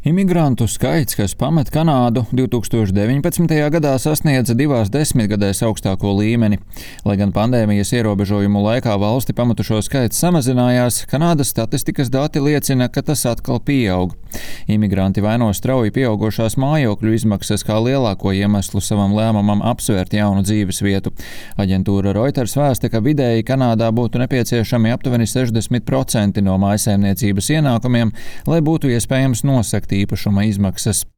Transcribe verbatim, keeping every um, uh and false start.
Imigrantu skaits, kas pamet Kanādu, divs tūkstoši deviņpadsmitajā gadā sasniedza divās desmitgadēs augstāko līmeni. Lai gan pandēmijas ierobežojumu laikā valsti pametušo skaits samazinājās, Kanādas statistikas dati liecina, ka tas atkal pieaug. Imigranti vaino strauji pieaugošās mājokļu izmaksas kā lielāko iemeslu savam lēmumam apsvērt jaunu dzīves vietu. Aģentūra Reuters vēsta, ka vidēji Kanādā būtu nepieciešami aptuveni sešdesmit procenti no mājsaimniecības ienākumiem, lai būtu iespējams nosegt īpašuma izmaksas.